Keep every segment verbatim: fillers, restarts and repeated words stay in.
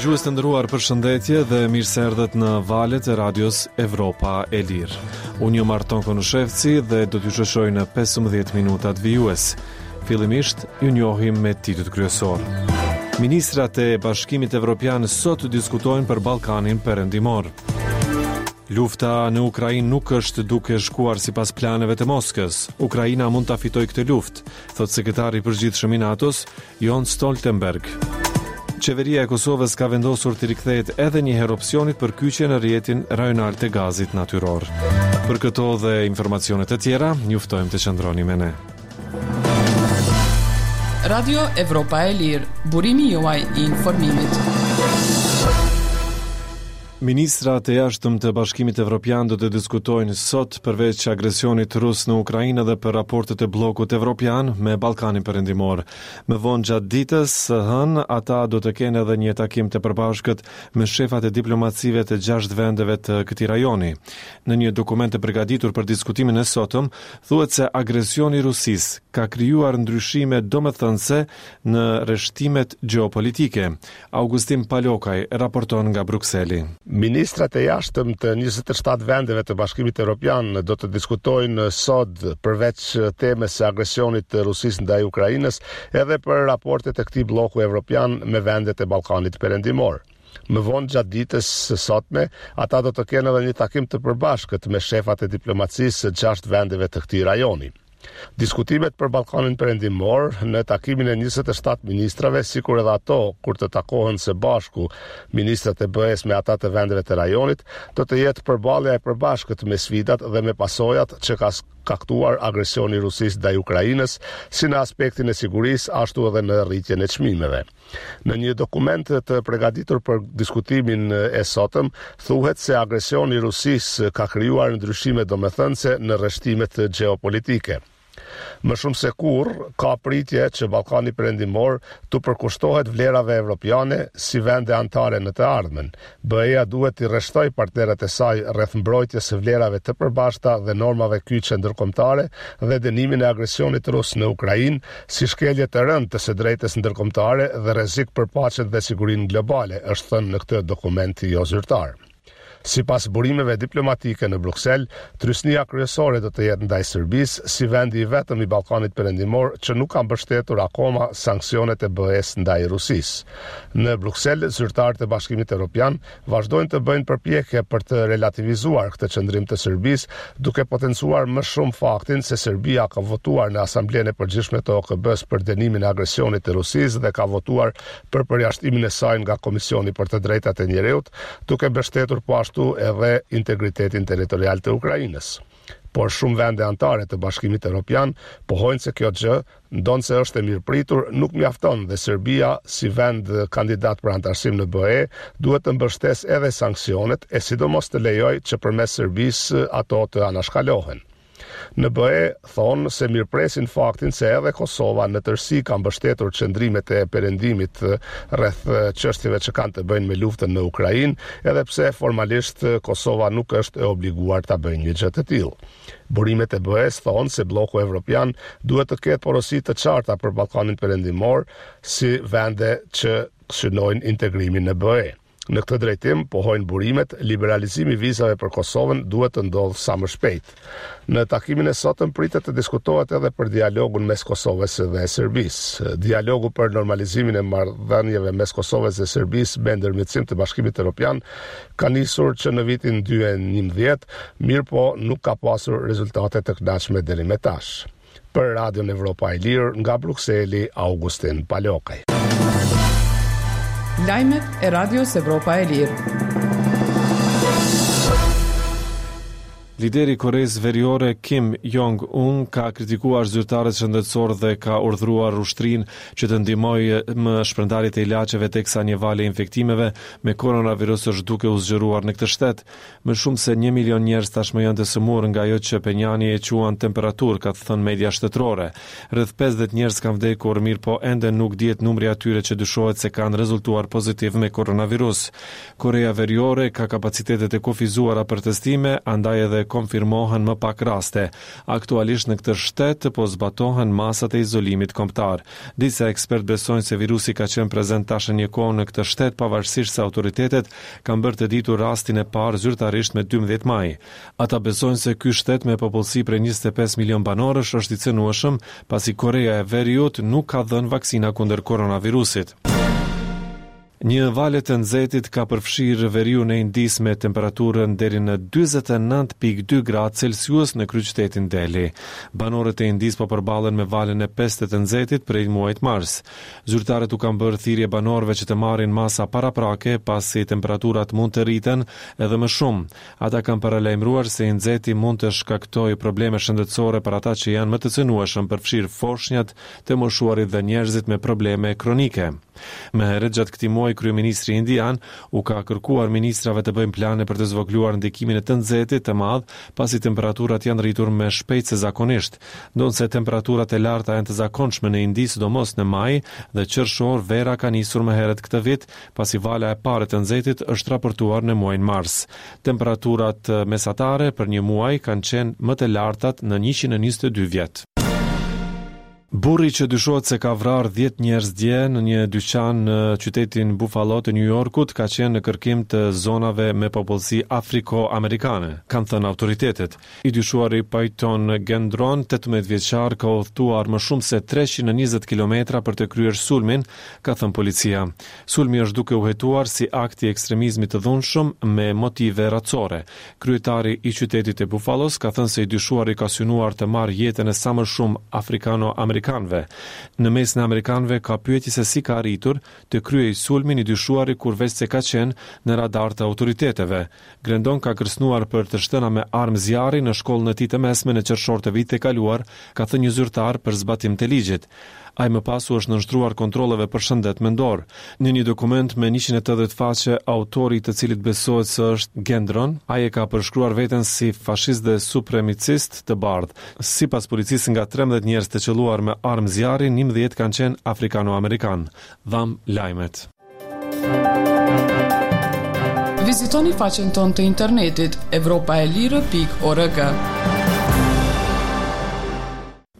Dëgjues të nderuar, përshëndetje dhe mirë se erdhët në valët e Radios Evropa e Lirë. Unë jam Arton Konushevci dhe do t'ju shoqëroj në pesëmbëdhjetë minutat vijues. Fillimisht, ju njohim me titujt kryesor. Ministrat e Bashkimit Evropian sot diskutojnë për Ballkanin Perëndimor. Lufta në Ukrainë nuk është duke shkuar sipas planeve të Moskës. Ukraina mund ta fitojë këtë luftë, thotë sekretari i përgjithshëm i NATO-s, Jens Stoltenberg. Qeveria e Kosovës ka vendosur të rikthehet edhe një herë opsionit për kyçje në rrjetin rajonal të gazit natyror. Për këto dhe informacione të tjera, ju ftojmë të qëndroni me ne. Radio Evropa e Lirë, burimi juaj i informimit. Ministrat e jashtëm të Bashkimit Evropian do të diskutojnë sot, përveç agresionit rus në Ukrainë, edhe për raportet e bllokut evropian me Ballkanin Perëndimor. Më vonë gjatë ditës së hënë, ata do të kenë edhe një takim të përbashkët me shefat e diplomacive të gjashtë vendeve të këtij rajoni. Në një dokument të përgatitur për diskutimin e sotëm, thuhet se agresioni i Rusisë ka krijuar ndryshime domethënëse në rreshtimet gjeopolitike. Augustin Palokaj raporton nga Brukseli. Ministrat e jashtëm të njëzet e shtatë vendeve të Bashkimit Evropian do të diskutojnë sot, përveç temës së agresionit të Rusisë ndaj Ukrainës, edhe për raportet e këtij blloku evropian me vendet e Ballkanit Perëndimor. Më vonë gjatë ditës së sotme, ata do të kenë edhe një takim të përbashkët me shefat e diplomacisë së gjashtë vendeve të këtij rajoni. Diskutimet për Ballkanin Perëndimor në takimin e njëzet e shtatë ministrave, sikur edhe ato kur të takohen së bashku ministrat e B E-s me ata të vendeve të rajonit, do të jetë përballja e përbashkët me sfidat dhe me pasojat që ka shkaktuar agresioni i Rusisë ndaj Ukrainës, si në aspektin e sigurisë, ashtu edhe në rritjen e çmimeve. Në një dokument të përgatitur për diskutimin e sotëm, thuhet se agresioni i Rusisë ka krijuar ndryshime domethënëse në rreshtimet gjeopolitike. Më shumë se kurrë, ka pritje që Ballkani Perëndimor të përkushtohet vlerave evropiane si vende anëtare në të ardhmen. B E-ja duhet t'i rreshtojë partnerët e saj rreth mbrojtjes së vlerave të përbashkëta dhe normave kyçe ndërkombëtare dhe dënimin e agresionit rus në Ukrainë si shkelje të rëndë të së drejtës ndërkombëtare dhe rrezik për paqen dhe sigurinë globale, është thënë në këtë dokument jo zyrtar. Sipas burimeve diplomatike në Bruksel, trysnia kryesore do të jetë ndaj Serbisë, si vendi i vetëm i Ballkanit Perëndimor që nuk ka mbështetur akoma sanksionet e B E-s ndaj Rusisë. Në Bruksel, zyrtarët e Bashkimit Evropian vazhdojnë të bëjnë përpjekje për të relativizuar këtë qëndrim të Serbisë, duke potencuar më shumë faktin se Serbia ka votuar në Asamblenë e Përgjithshme të O K B-s për dënimin e agresionit të Rusisë dhe ka votuar për përjashtimin e saj nga Komisioni për të Drejtat e Njeriut, duke mbështetur po ashtu edhe integritetin territorial të Ukrainës. Por shumë vende anëtare të Bashkimit Evropian pohojnë se kjo gjë, ndonëse është e mirëpritur, nuk mjafton dhe Serbia, si vend kandidat për anëtarësim në B E, duhet të mbështesë edhe sanksionet e sidomos të lejojë që përmes Serbisë ato të anashkalohen. Në B E thonë se mirëpresin faktin se edhe Kosova në tërësi ka mbështetur qëndrimet e perëndimit rreth çështjeve që kanë të bëjnë me luftën në Ukrainë, edhe pse formalisht Kosova nuk është e obliguar ta bëjë një gjë të tillë. Burimet e B E-s thonë se blloku evropian duhet të ketë porosi të qarta për Ballkanin Perëndimor si vende që synojnë integrimin në B E. Në këtë drejtim, pohojnë burimet, liberalizimi i vizave për Kosovën duhet të ndodhë sa më shpejt. Në takimin e sotëm pritet të diskutohet edhe për dialogun mes Kosovës dhe Serbisë. Dialogu për normalizimin e marrëdhënieve mes Kosovës dhe Serbisë me ndërmjetësim të Bashkimit Evropian ka nisur që në vitin dy mijë e njëmbëdhjetë, mirëpo nuk ka pasur rezultate të kënaqshme deri më tash. Për Radion Evropa e Lirë, nga Brukseli, Augustin Palokaj. Lajmet e Radios Evropa e Lirë. Lideri i Koresë Veriore Kim Jong-un ka kritikuar zyrtarët shëndetësor dhe ka urdhëruar ushtrinë që të ndihmojë më shpërndarjet e ilaçeve, teksa një valë e infektimeve me koronavirus është duke u zgjeruar në këtë shtet. Më shumë se një milion njerëz tashmë janë të sëmurë nga ajo që Penjani e quan temperaturë, ka thënë media shtetërore. Rreth pesëdhjetë njerëz kanë vdekur, mirëpo ende nuk dihet numri atyre që dyshohet se kanë rezultuar pozitiv me koronavirus. Korea Veriore ka kapacitetet e kufizuara për testime, andaj edhe konfirmohen më pak raste. Aktualisht në këtë shtet po zbatohen masat e izolimit kombëtar. Disa ekspertë besojnë se virusi ka qenë prezent tash një kohë në këtë shtet, pavarësisht se autoritetet kanë bërë të ditur rastin e parë zyrtarisht me dymbëdhjetë maj. Ata besojnë se ky shtet me popullsi prej njëzet e pesë milion banorësh është i cenueshëm, pasi Koreja e Veriut nuk ka dhënë vaksina kundër koronavirusit. Një valë të nxehtit ka përfshirë veriun e Indisë me temperaturën deri në dyzet e nëntë pikë dy gradë Celsius në kryeqytetin Delhi. Banorët e Indisë po përballen me valën e pestë të nxehtit prej muajit mars. Zyrtarët u kanë bërë thirrje banorëve që të marrin masa paraprake, pasi temperaturat mund të rriten edhe më shumë. Ata kanë paralajmëruar se i nxehti mund të shkaktojë probleme shëndetësore për ata që janë më të cenueshëm, përfshirë foshnjat, të moshuarit dhe njerëzit me probleme kronike. Më herët gjatë këtij muaji, kryeministri indian u ka kërkuar ministrave të bëjnë plane për të zvogëluar ndikimin e të nxehtit të madh, pasi temperaturat janë rritur më shpejt se zakonisht. Ndonëse temperaturat e larta janë të zakonshme në Indi, sidomos në maj dhe qershor, vera ka nisur më herët këtë vit, pasi vala e parë e të nxehtit është raportuar në muajin mars. Temperaturat mesatare për një muaj kanë qenë më të lartat në njëqind e njëzet e dy vjet. Burri që dyshohet se ka vrarë dhjetë njerëz dje në një dyqan në qytetin Buffalo të New Yorkut ka qenë në kërkim të zonave me popullsi afriko-amerikane, kanë thënë autoritetet. I dyshuari Payton Gendron, tetëmbëdhjetë vjeçar, ka udhëtuar më shumë se treqind e njëzet kilometra për të kryer sulmin, ka thënë policia. Sulmi është duke u hetuar si akt i ekstremizmit të dhunshëm me motive racore. Kryetari i qytetit të Buffalos ka thënë se i dyshuari ka synuar të marrë jetën e sa më shumë afrikano-amerikanëve. Në mesin e amerikanëve ka pyetje se si ka arritur të kryej sulmin i dyshuari, kur veç se ka qenë në radar të autoriteteve. Gendron ka kërcënuar për të shtëna me armë zjarri në shkollën e tij të mesme në qershor të vitit të kaluar, ka thënë një zyrtar për zbatim të ligjit. Ai më pas u është nënshtruar kontrolleve për shëndet mendor. Në një dokument me njëqind e tetëdhjetë faqe, autori i të cilit besohet se është Gendron, ai e ka përshkruar veten si fashist dhe supremacist të bardhë. Sipas policisë, nga trembëdhjetë njerëz të qelluar me armë zjarri, njëmbëdhjetë kanë qenë afrikano-amerikan. Dham lajmet. Vizitoni faqen tonë të internetit evropaelire pikë org.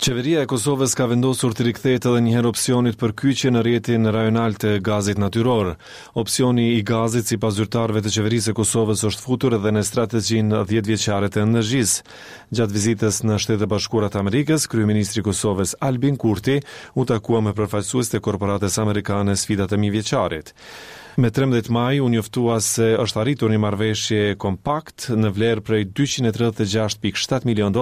Qeveria e Kosovës ka vendosur të rikthehet edhe një herë opsionit për kyçje në rrjetin rajonal të gazit natyror. Opsioni i gazit, sipas zyrtarëve të qeverisë së Kosovës, është futur edhe në strategjinë dhjetë vjeçare të energjisë. Gjatë vizitës në Shtetet e Bashkuara të Amerikës, kryeministri i Kosovës Albin Kurti u takua me përfaqësues të korporatës amerikane Sfidat e Mijëvjeçarit. Me trembëdhjetë maj u njoftua se është arritur një marrëveshje kompakt në vlerë prej dyqind e tridhjetë e gjashtë pikë shtatë milion.